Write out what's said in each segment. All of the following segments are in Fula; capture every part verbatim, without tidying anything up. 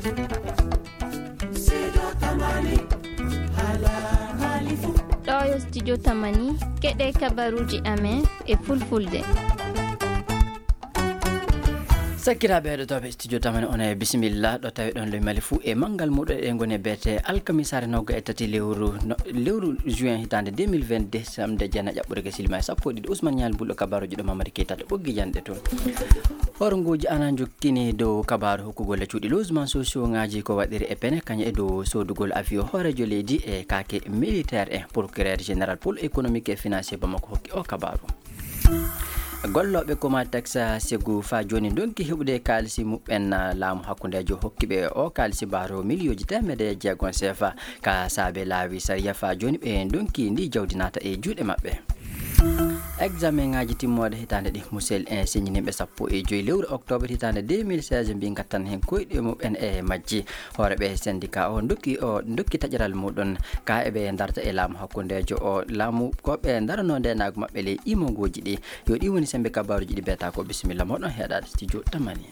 Ɗo yo studio Tamani, keɗe kabaruuji amen e fulfulde. Sakkiraaɓe heɗotooɓe studio Tamani, on e bisimilla ɗo tawi ɗon le mali fuu e manngal muɗo e ngoni beete alkamisaare nogga e tati lewru no-, lewru juin hitaande deux mille vingt-deux, samde jana ƴaɓɓude ke silima e sappo e ɗiɗi. Ousmane Ñaali Bulɗo, kabaruuji ɗo Mamadi Keita to ɓoggi janɗe toon. Hornguuji ana njokkini dow kabaaru hokkugol e cuuɗi logement sociaux ŋaaji ko waɗiri e pene kañum e dow soodugol avion hooreejo leydi e kaake militaire en. Procureur général pôle économique et financier Bamako hokki o kabaaru. Gollooɓe Comatex Ségou faa jooni ndonki heɓude kaalisi muɓɓen, laamu hakkundeejo hokki ɓe o kaalisi mbaaro miliyooji teemedde jeegom seefa. Ka saabe laawi sariya faa jooni ɓe ndonki ndi jawdi naata e juuɗe maɓɓe. Examen ŋaaji timmooɗe hitaande ɗi Musel en siññiniiɓe sappo e joy lewru octobre hitaande deux mille seize mbi ngattan heen koyɗe muɓɓen e majji. Hooreeɓe syndicat o ndokki, o ndokki taƴaral muɗum ka eɓe ndarta e laamu hakkundeejo o laamu ko ɓe ndaranoo ndeenaagu maɓɓe ley imongooji ɗi. Yo ɗi woni sembe kabaaruuji ɗi beeta ko bisimilla moɗon heɗaade studio Tamani.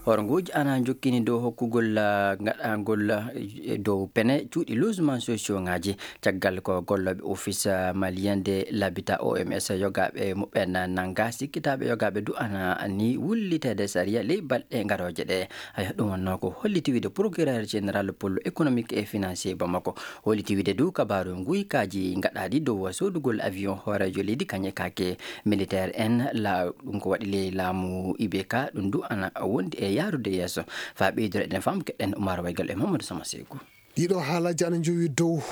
Hornguuji ana njokkini dow hokkugol, ah, ngaɗangol, ah, e dow pene cuuɗi logement sociaux ŋaaji. Caggal ko gollooɓe Office, ah, Malien de l'Habitat, O M S, yogaaɓe muɓɓen nannga, sikkitaaɓe yogaaɓe du ana ni wulliteede sariya ley balɗe ngarooje ɗe. Haya, ɗum wonnoo ko holliti wiide procureur général pôle économique et financier Bamako. Holliti wiide du kabaaru nguykaaji ngaɗaaɗi dow soodugol avion hooreejo leydi kañe kaake militaire en la, ɗum ko waɗi ley laamu I B K, ɗum du ana wondi e yaarude yeeso. Faa ɓeydoro eɗen faamu keɗen Umar Waygal e Mamadou Sama Seeku. Ɗiɗo haalaaji ana njowi dow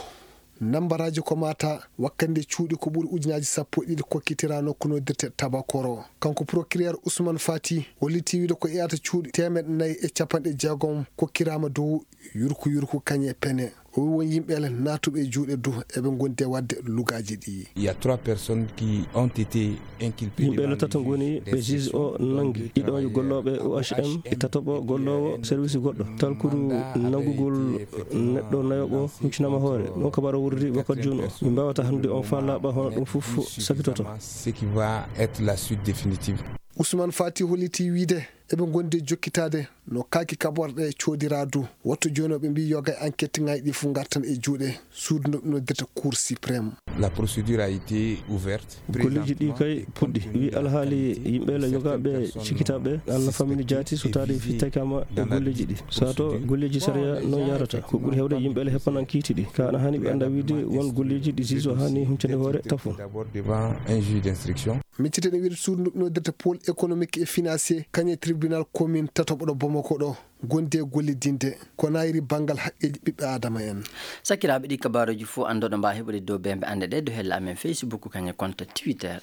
nambaraaji ko mata wakkande cuuɗi ko ɓuri ujunaaji sappo e ɗiɗi kokkitiraa nokku noddirte Tabakoro. Kanko procureur Ousmane Fati holliti wiide ko iyata cuuɗi teemeɗɗe nayi e capanɗe jeegom kokkiraama dow yurku yurku kañe pene. O wi won yimɓe ele naatuɓe e juuɗe du eɓe ngondi e waɗde lugaaji ɗi. Il y a trois personnes qui ont été inculpées. Yimɓe ele tato ngoni ɓe juge o nanngi. Ɗiɗo yo gollooɓe O H M, e tatoɓo golloowo service goɗɗo. Talkuru nanngugol neɗɗo nayoɓo huccinaama hoore. Ɗum kabaaru wurri wakkati jooni o. Min mbaawata hannde on faa laaɓa hono ɗum fof sakitoto. Ce qui va être la suite définitive. Ousmane Fati holliti wiide eɓe ngondi e jokkitaade no kaaki kaɓorɗe coodiraa du. Wattu jooni o ɓe mbii yoga e enquête ŋaaji ɗi fof ngartan e juuɗe suudu no ɓe noddirta Cour suprême. La procédure a été ouverte. Golleeji ɗi kay puɗɗi. Wi alhaali yimɓe le yogaaɓe cikkitaaɓe ana famini jaati so taade fittakaama e golleeji ɗi. Sato golleeji sariya noon yaarata. Ko ɓuri heewde yimɓe le heppanan kiiti ɗi. Ka ana haani ɓe annda wiide won golleeji ɗi juge o haani huccande hoore tafo. D'abord devant un juge d'instruction. Miccite ne wiide suudu ndu noddirta pôle économique et financier kañe tribunal commune tataɓo ɗo Bamako ɗo. Gondi e gollidinde ko nayri banngal haqqeeji ɓiɓɓe Aadama en. Sakiraaɓe, ɗi kabaaruuji fof anndoɗo mbaa heɓude dow bembe annde ɗe dow hella amen Facebook kañe compte Twitter.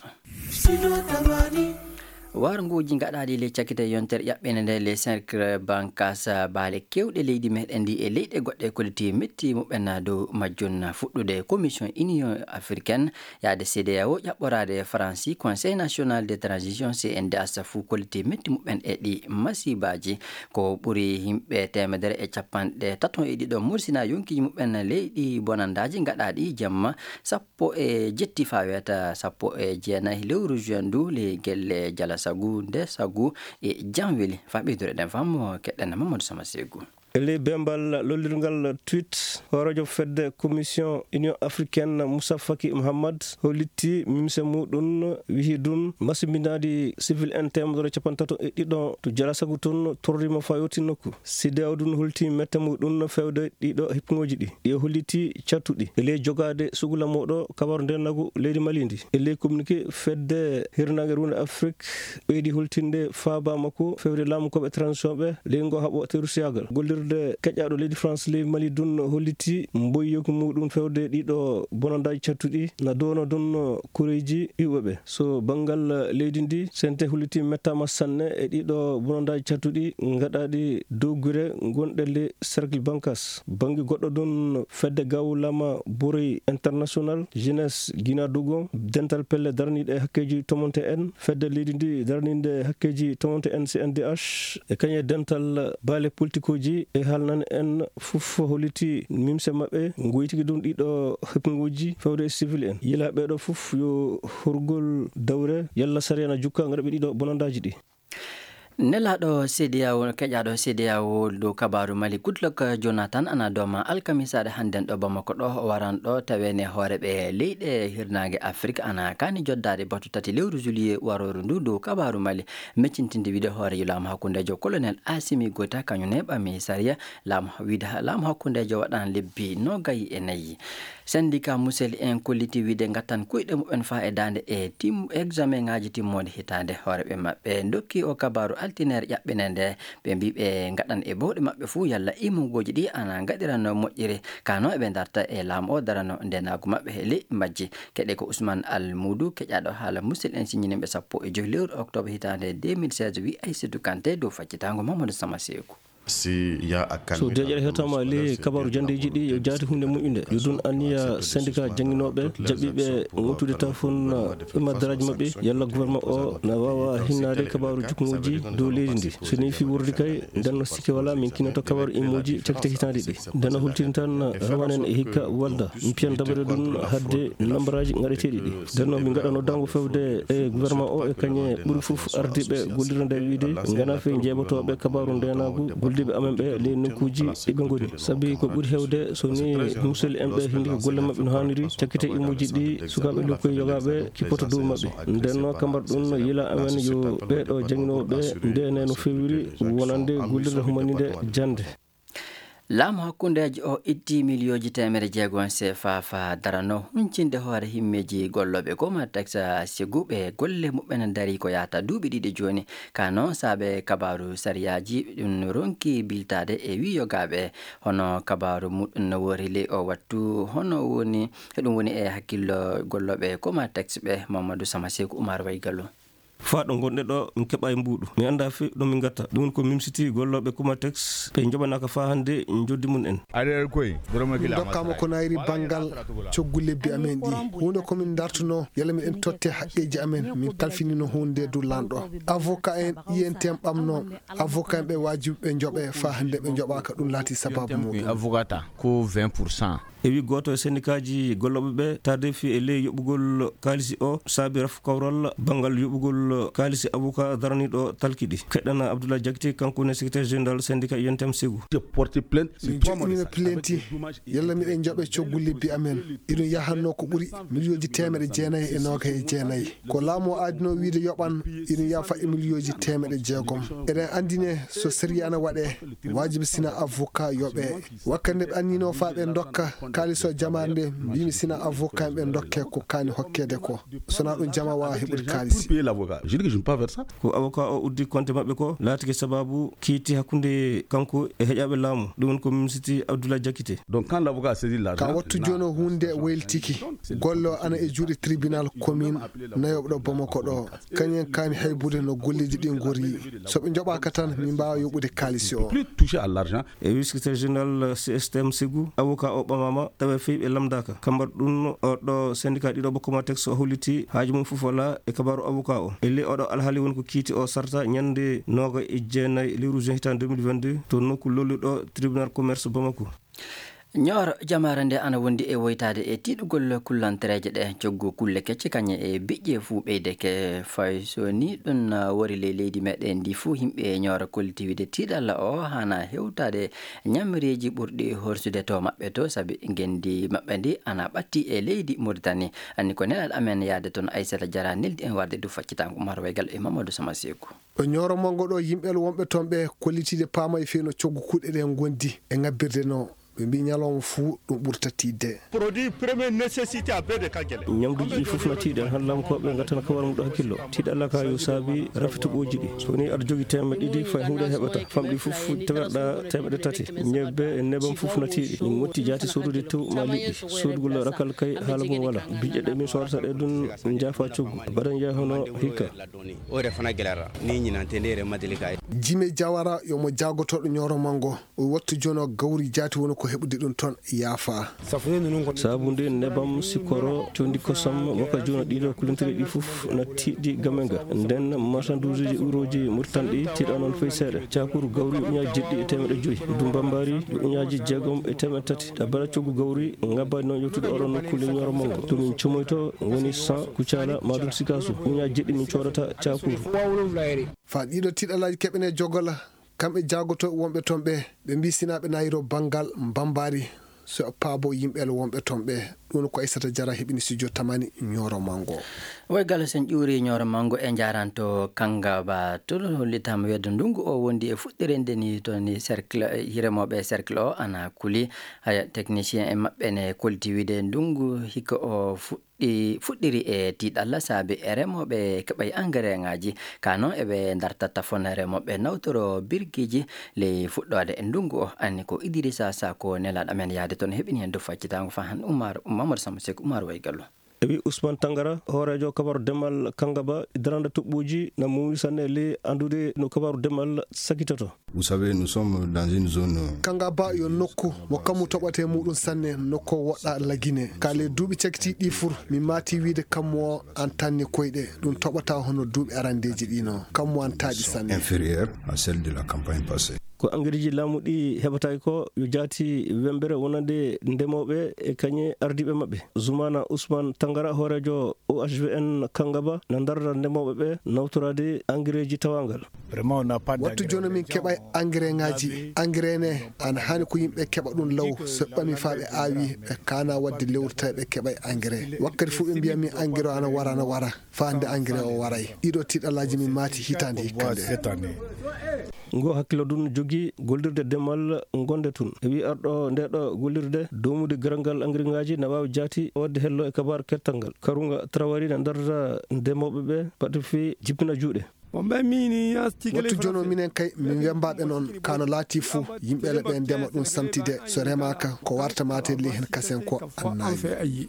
Warnguuji ngaɗaaɗi ley cakkite yontere ƴaɓɓinde nde les cinq bancas baale keewɗe leydi meɗen ndi e leyɗe goɗɗe kolliti metti muɓɓen dow majjum. Fuɗɗude Commission Union Africaine yaade C D A O ƴaɓɓoraade Faransi Conseil National de Transition C N D H fof kolliti metti muɓɓen e ɗi masibaaji. Ko ɓuri yimɓe teemedere e capanɗe tato e ɗiɗo mursina yonkiiji muɓɓen leyɗi bonandaaji ngaɗaaɗi jamma sappo e jetti faa weeta sappo e jeenayi lewru juin ndu ley gelle Jalasagu, Ndesagu e Janweli. Faa ɓeydude ɗen faamu keɗen Mamadou Sama Seegu. E ley bembal lollirngal tweet, hooreejo fedde Commission Union Africaine Moussa Faki Mahamat hollitti mimse muɗum, wihi ɗum masimbinaaɗi civil en teemedere capanɗe tato e ɗiɗo to Jalasagu tun torriima faa yowti nokku. C D A O ɗum holti mette muɗum feewde ɗiɗo hippuŋooji ɗi. Ɗi holliti cattuɗi e ley jogaade sugla mooɗo kabaru ndeenaagu leydi Mali ndi. E ley communiqué fedde hirnaange runde Afrik ɓeydi holtinde faaba makko feewde laamu koɓe transition ɓe ley ngo haɓo terusiyaagal. Gollirde keƴaaɗo leydi France ley Mali ɗum holliti mboyyoki muɗum feewde ɗiɗo bonandaaji cattuɗi na downo ɗum kureeji iwɓe ɓe. So banngal leydi ndi, C N T holliti mettaama sanne e ɗiɗo bonandaaji cattuɗi ngaɗaaɗi dow gure gonɗe ley cercle Bankas. Bannge goɗɗo ɗum fedde gawlama Boroy International, Jeunesse Guinadogon, dental pelle daraniiɗe e hakkeeji tomonte en, fedde leydi ndi daraniinde hakkeeji tomonte en C N D H, e kañe dental baale politikuuji e haalnane en fof holliti mimse maɓɓe, ngoytiki ɗum ɗiɗo heppuŋuuji feewde e civil en. Yila ɓeeɗo fof yo horgol dawre, yalla sariya na jukka ngaɗa ɓe ɗiɗo bonandaaji ɗi. Nelaaɗo C D A O, keƴaaɗo C D A O dow kabaaru Mali, Goodluck Jonathan, ana dooma alkamisaare hannden ɗo Bamako ɗo, o waran ɗo taweene hooreeɓe leyɗe hirnaange Afrik, ana kaani joddaade batu tati lewru juillet warooru ndu dow kabaaru Mali, meccintinde wiide hooreejo laamu hakkundeejo Colonel Assimi Goïta, kañum ne ɓami sariya laamu, wiide ha-, laamu hakkundeejo waɗan lebbi noogay e nayi. Syndicat Musel en kolliti wiide ngattan koyɗe muɓɓen faa e daande e tim-, examen ŋaaji timmoode hitaande. Hooreeɓe maɓɓe ndokki o kabaaru altineere ƴaɓɓinande. Ɓe mbii ɓe ngaɗan e bowɗe maɓɓe fuu yalla imugooji ɗi ana ngaɗirano moƴƴiri. Kano eɓe darta e laamu o darano ndenaagu maɓɓe e leƴƴi majji. Keɗe ko Ousmane Almoudou, keƴaaɗo haala Musel en siññininɓe sappo e joy lewru octobre hitaande deux mille seize, wi Aïssatou Kanté dow faccitaango Mamadou Sama Seeku. Si ya a kan So deeƴere heɓtaama e ley kabaaru janndeeji ɗi, yo jaati huunde moƴƴunde. Yo ɗum anniya syndicat jannginooɓe, jaɓɓiiɓe ŋottude tafon, eh, imma daraaji maɓɓe, yalla gouvernement o na waawa hinnaade kabaaru jukkuŋooji dow leydi ndi. So nii fii wordi kay, nden no sikke walaa, min kinoto kabaaru immooji cakkite hitaande ɗi. Nden no hultini tan, eh, rawanen e hikka walda. Mpiyan dabere ɗum hadde nambaraaji ngaɗeteeɗi ɗi. Nden noon, min ngaɗano dañgo fewde e gouvernement o e kañe ɓuri fof ardiiɓe gollirde nde wiide ngana fii jeeɓotooɓe kabaaru ndeenaagu golliiɓe amen ɓe ley nokkuuji ɗi ɓe ngoni. Sabi ko ɓuri heewde so ni musidɓe en ɓe hindi ko golle maɓɓe no haaniri, cakkite imuuji ɗi sukaaɓe lokkoy yogaaɓe kippoto dow maɓɓe. Nden noon, kambar ɗum yila amen yo ɓee ɗo jannginooɓe ndeene no feewiri wonande gollirde humaninde jannde. Laamu hakkundeejo o itti miliyooji teemedde jeego C F A faa darano huncinde hoore himmeeji gollooɓe Comatex, sigu ɓe golle muɓɓen darii ko yahata duuɓi ɗiɗi jooni. Ka noon, saabe kabaaru sariyaaji ɗum ronki biltaade e wii yogaaɓe. Hono kabaaru muɗum no woori ley o wattu, hono woni, eɗum woni e hakkillo gollooɓe Comatex ɓe. Mamadou Sama Seeku, Oumar Way Gallo. Faa ɗo ngonɗe ɗo, min keɓa e mbuuɗu. Mi annda fi ɗo min ngatta. Ɗum ko mimsiti gollooɓe Comatex, ɓe njoɓanaaka faa hannde njoddi mum en. Min ndokkaama ko nayri banngal coggu lebbi amen ɗi. Huunde ko min ndartuno, yalla miɗen totte haqqeeji amen. Min kalfinino huunde dow lanɗo. Avocat en, I N T M ɓamno. Avocat en ɓe waajibi ɓe njoɓe, faa hannde ɓe njoɓaaka, ɗum laati sababu muɗum. Avocat ko vingt pour cent. E wi gooto e sendikaaji gollooɓe ɓe, tardé fi e ley yoɓugol kaalisi o, saabi rafu kawral banngal yoɓugol kaalisi avocat daraniiɗo talki ɗi. Keɗɗana Abdoulaye Diakité, kanko ne secrétaire général syndicat I N T M Ségou. Min joɗɗinino plainte, yalla miɗen njoɓe coggu lebbi amen. Iɗum yahanno ko ɓuri miliyooji teemeɗe jeenayi e noogay e jeenayi. Ko laamu o aadino wiide yoɓan, iɗum yaha faɗɗi miliyooji teemeɗe jeegom. Eɗen anndine so sariya ana waɗe, waajibi sina avocat yoɓe. Wakkati nde ɓe annino faa ɓe ndokka kaalis o jamaare nde, mbiimi sina avocat ɓe ndokke ko kaani hokkeede ko. So na ɗum jama waawa heɓude kaalis. Ko avocat o uddi konte maɓɓe ko laatike sababu kiitti hakkunde kanko e heƴaaɓe laamu. Ɗum woni ko mimsiti Abdoulaye Diakité. Donc, quand l'avocat a saisi l'argent, ka wattu jooni o huunde waylitiki. Golle o ana e juuɗe tribunal commune nayooɓe ɗo Bamako ɗo. Kañum en kaani haybude no golleeji ɗi ngori. So ɓe njoɓaaka tan, min mbaawa yoɓude kaalis o. Plus touché à l'argent. E wi secrétaire général C S T M Ségou, avocat o ɓamaama, tawa fii ɓe lamndaaka. Kambar ɗum, o ɗo syndicat ɗiɗo ɓe Comatex o holliti haaju mum fof wala e kabaaru avocat o. E ley oɗo alhaali woni ko kiiti o sarta ñande nooga e jeenayi lewru juin hitaande deux mille vingt-deux to nokku lolluɗo tribunal commerce Bamako. Ñooro jamaare nde ana wondi e woytaade e tiiɗugol kullantereeje ɗe. Coggu kulle kecce kañe e biƴƴe fuu ɓeyde ke fay so ni ɗum wori ley leydi meɗen ndi fuu, yimɓe Ñooro kolliti wiide tiiɗalla o hana hewtaade ñamreeji ɓurɗi horsude to maɓɓe to, sabi ngenndi maɓɓe ndi ana ɓatti e leydi Muritani. Anni ko nelal amen yaade toon, Aissata Diarra neldi en warde du faccitango Umar Waygal e Mamadou Sama Seeku. Ɗo Ñooro Manngo ɗo, yimɓe wonɓe toon ɓe kollitiiɓe paamay fii no coggu kuɗe ɗe ngondi e ngabbirde no. Ɓe mbii ñalawma fuu ɗum ɓurta tiiɗde. Produit première nécessité a bee de ka gele. Ñamduuji ɗi fof na tiiɗi, hannde laamkooɓe ngattana kawar mum ɗo hakkillo. Tiiɗalla ka yo saabi rafi toɓooji ɗi. So woni aɗa jogii teemedde ɗiɗi, fay huunde heɓata. Famɗi fof tewerɗa teemedde tati. Ñebbe e nebam fof na tiiɗi. Min motti jaati soodude tew ma liɗɗi. Soodugol rakkal kay haala mum wala. Biƴƴe ɗe min soodata ɗe ɗum njaafa coggu. Mbaɗa njeya hono hikka. Ore fana gelara. Ni ñinante ndere madeli kay. Jime Jawara yo mo jaagotooɗo Ñooro Manngo. O wattu jono gawri jaati woni Ko heɓude ɗum toon yaafa. Saabude nebam, sikoro, condi kosam, waka joona ɗiɗo kulintiri ɗi fof na tiiɗi Gamenga. Nden marsanduuji urooji murtanɗi tiiɗa noon fay seeɗa. Cakuru gawri uñaaji jeɗɗi e teemeɗe joyi. Dumbambari uñaaji jeegom e teemeɗe tati. Ɗa bara coggu gawri ngabbaani noon yottude oɗon nokkuule Ñooro Mango. Ɗum min comoyto woni cent Kucala, maɗum Sikasu. Uñaaji jeɗɗi min coodata cakuru. Fa ɗiɗo tiiɗalaaji keɓene jogola. Kamɓe jaagotooɓe wonɓe toon ɓe, ɓe mbii sinaa ɓe naayiro banngal mbambaari, so e paabo yimɓe wonɓe toon ɓe. Ɗum ko Aissata Diarra heɓini studio Tamani Ñooro Mango. Woy Gallo, sen ƴuuri Ñooro Mango e njaaranto Kangaba to hollitaama weedo ndungu o wondi e fuɗɗirinde ni toon ni cercle, eh, remooɓe cercle o ana kuli. Haya, technicien e maɓɓe ne kolti wiide ndungu hikka o fuɗɗi ɗi fuɗɗiri e tiiɗalla saabi e remooɓe keɓay engrais ŋaaji. Ka noon eɓe ndarta tafon remooɓe nawtoro birgiiji ley fuɗɗoode e ndungu o. Anni ko Idrissa Sako nelaaɗo amen yaade toon heɓini heen dow faccitaango fa han Umar, Mamadou Samba Seck, Umar Way Gallo. E wi Ousmane Tangara, hooreejo kabaru demal Kangaba, darande toɓɓuuji na muuwi sanne ley anndude no kabaru demal sakitoto. Vous savez, nous sommes dans une zone. Kangaba yo nokku mo kammu toɓata e muɗum sanne, nokku o woɗɗa Lagine. Ka ley duuɓi cakitiiɗi ɗi fur, mi maati wiide kammu o an tanni koyɗe. Ɗum toɓata hono duuɓi arandeeji ɗi no. Kammu an taaɗi sanne. Inférieure à celle de la campagne passée. Ko engrais ji laamu ɗi heɓataake ko yo jaati wembere wonande ndemooɓe e kañe ardiiɓe maɓɓe. Zoumana Ousmane Tangara, hooreejo O H V N Kangaba, na darda ndemooɓe ɓe nawtoraade engrais ji tawangal. Vraiment, on n'a pas d'engrais. Wattu jooni min keɓa engrais ŋaaji. Engrais ne, ana haani ko yimɓe keɓa ɗum law. So ɓami faa ɓe aawi, ɓe kaana waɗde lewru tawi ɓe keɓa engrais. Wakkati fof ɓe mbiya min engrais o ana wara, ana wara. Faa hannde engrais o waray. Ɗiɗo tiiɗalaaji min maati hitaande hikka nde. Ngo hakkillo ɗum jogi gollirde demal gonde tun. E wi arɗo nde ɗo gollirde, doomude garal ngal engrais ŋaaji na waawi jaati waɗde hello e kabaar kettal ngal. Karunga Traoré na darda ndemooɓe ɓe, baɗte fii jippina juuɗe. Wattu jono minen kay, min wembaaɓe noon, kano laati fuu, yimɓe le ɓe ndema ɗum samtide, so remaaka, ko warta maate le hen kasen ko annayi.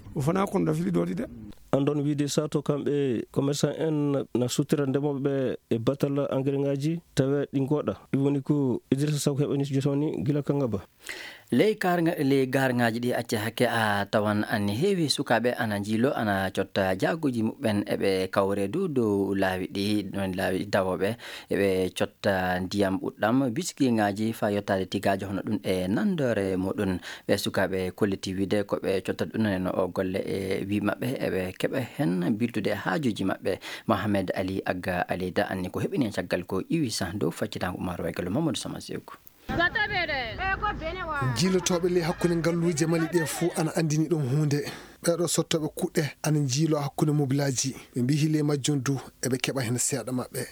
An ɗon wiide sato kamɓe commerçant en na suttira ndemooɓe ɓe e batal engrais ŋaaji, tawe ɗi ngoɗa. Ɗum woni ko Idrissa Sako heɓani jotoni gila Kangaba. Ley kaarŋa-, ley gaarŋaaji ɗi acca hakke a tawan an heewi sukaaɓe ana njiilo, ana cotta jaaguuji muɓɓen, eɓe kawre dow, dow laawi ɗi, ɗon laawi dawooɓe, eɓe cotta ndiyam ɓuɗɗam, bisikiŋaaji faa yottaade tigaaje hono ɗum e nanndore muɗum. Ɓe sukaaɓe kolliti wiide ko ɓe cotta ɗum no o golle e wi maɓɓe, eɓe keɓa heen biltude haajuuji maɓɓe. Mohamed Ali Agga Aleyda anni ko heɓini heen caggal ko iwi sah dow faccitaango Umar Waygallo Mamadou Sama Seeku. Jiilotooɓe ley hakkunde ngalluuje Mali ɗe fuu ana anndini ɗum huunde. Ɓeeɗo sottooɓe kuɗɗe ana njiiloo hakkunde mobilaaji. Ɓe mbiyi ley majjum du eɓe keɓa heen seeɗa maɓɓe.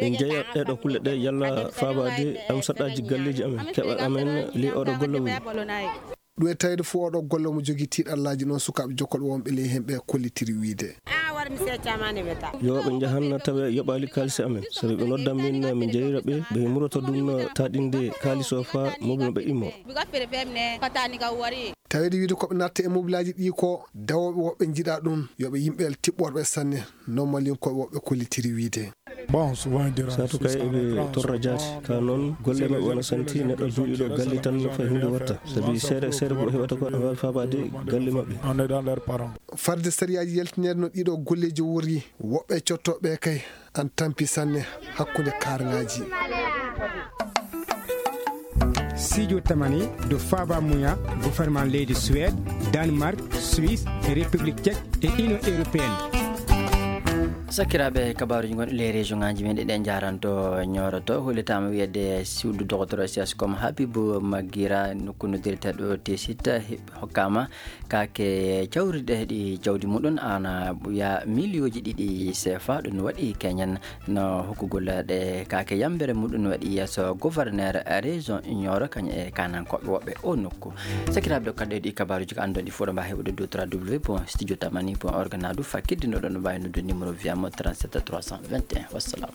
Min njeya ɗeeɗo kulle ɗe yalla faabaade am saɗɗaaji galleeji amen, keɓal amen ley oɗo golle woni. Ɗum e tawde fuu oɗo golle omo jogii tiiɗallaaji noon sukaaɓe jokkolɓe wonɓe ley heen ɓe kollitiri wiide. Yo ɓe njahan tawa yoɓaali kaalisi amen. So ɓe nodda min, min njeyira ɓe, ɓe muroto ɗum taaɗinde kaalis o faa mobil maɓɓe immo. Tawde wiide ko ɓe natta e mobilaaji ɗi ko dawooɓe woɓɓe njiɗa ɗum, yo ɓe yimɓe tiɓɓorɓe sanne, no Malinkooɓe woɓɓe kollitiri wiide. Sato kay eɓe torra jaati. Ka noon, golle maɓɓe wona santi, neɗɗo duuɗiɗo galle tan no fay huunde watta. Sabi seeɗa, seeɗa ko heɓata ko, ana waawi faabaade galle maɓɓe. Farde sariyaaji yaltineede no ɗiɗo golleeji wori, woɓɓe cottooɓe kay, an tampi sanne hakkunde kaarŋaaji. Sijo Tamani do faaba muya gouvernement leydi Suède, Danemark, Suisse, République Tchèque et Union Européenne. Sakiraaɓe, kabaaruuji gonɗi ley région ŋaaji men ɗi ɗen njaaranto Ñooro to, hollitaama wiyeede suudu dogotoro S S com Habibou Magira, nokku noddirteeɗo Tessit, he-, hokkaama kaake cawriɗe ɗi jawdi muɗum ana ɓuya miliyooji ɗiɗi C F A. Ɗum waɗi keñen no hokkugol ɗe kaake yambere muɗum waɗi yeeso gouverneur région Nioro kañum e kaanankooɓe woɓɓe o nokku. Sakiraaɓe, ɗo kaddeeɗi kabaaruuji ko anndon ɗi fof ɗo mbaawi heɓude dow trois W point studio tamani point org na du fakkidde no ɗon mbaawi noddude numéro viyamo trente-sept trois cent vingt et un. Wassalam.